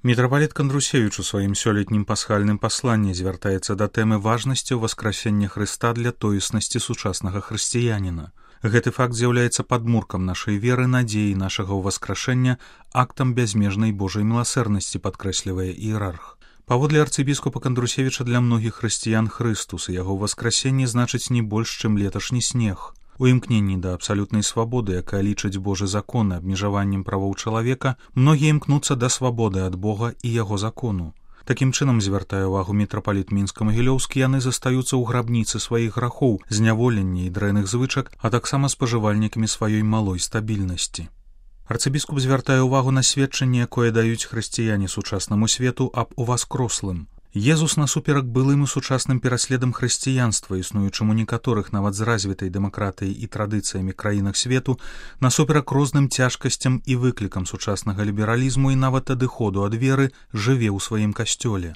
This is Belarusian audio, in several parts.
Мітрапаліт Кандрусевіч у сваім сёлетнім пасхальным пасланні звяртаецца да тэмы важнасці ўваскрасення Хрыста для тоеснасці сучаснага хрысціяніна. Гэты факт з'яўляецца падмуркам нашай веры, надзеі нашага ўваскрашэння, актам бязмежнай Божай міласэрнасці, падкрэслівае іерарх. Паводле арцыбіскупа Кандрусевіча, для многіх хрысціян Хрыстус і яго ўваскрасенне значыць не больш, чым леташні снег. У імкненні да абсалютнай свабоды, якая лічыць Божы закон абмежаваннем правоў чалавека, многія імкнуцца да свабоды ад Бога і яго закону. Такім чынам, звяртае ўвагу мітрапаліт мінска-магілёўскі, яны застаюцца ў грабніцы сваіх грахоў, зняволення і дрэнных звычак, а таксама спажывальнікамі сваёй малой стабільнасці. Арцыбіскуп звяртае ўвагу на сведчанне, якое даюць хрысціяне сучаснаму свету аб уваскрослым. Езус насуперак былым і сучасным пераследам хрысціянства, існуючым у некаторых нават з развітай дэмакратыяй і традыцыямі краінах свету, насуперак розным цяжкасцям і выклікам сучаснага лібералізму і нават адыходу ад веры, жыве ў сваім касцёле.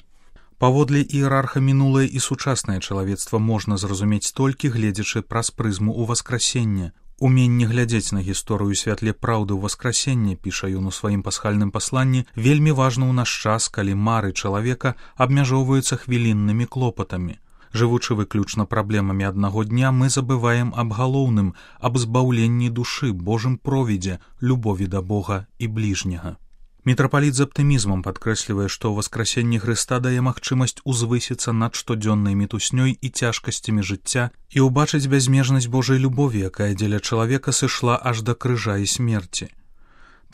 Паводле іерарха, мінулае і сучаснае чалавецтва можна зразумець толькі гледзячы праз прызму ўваскрасення. Уменне глядзець на гісторыю святле праўды ўваскрасення, піша ён у сваім пасхальным пасланні, вельмі важна ў наш час, калі мары чалавека абмяжоўваюцца хвіліннымі клопатамі. Жывучы выключна праблемамі аднаго дня, мы забываем аб галоўным, аб збаўленні душы, Божым провідзе, любові да Бога і бліжняга. Мітрапаліт з аптымізмам падкрэслівае, што ўваскрасенне Хрыста дае магчымасць узвысіцца над штодзённай мітуснёй і цяжкасцямі жыцця і ўбачыць бязмежнасць Божай любові, якая дзеля чалавека сышла аж да крыжа і смерці.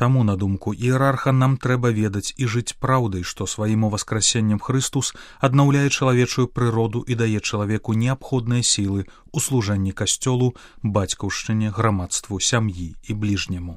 Таму, на думку іерарха, нам трэба ведаць і жыць праўдай, што сваім уваскрасеннем Хрыстус аднаўляе чалавечую прыроду і дае чалавеку неабходныя сілы ў служэнні касцёлу, бацькаўшчыне, грамадству, сям'і і бліжняму.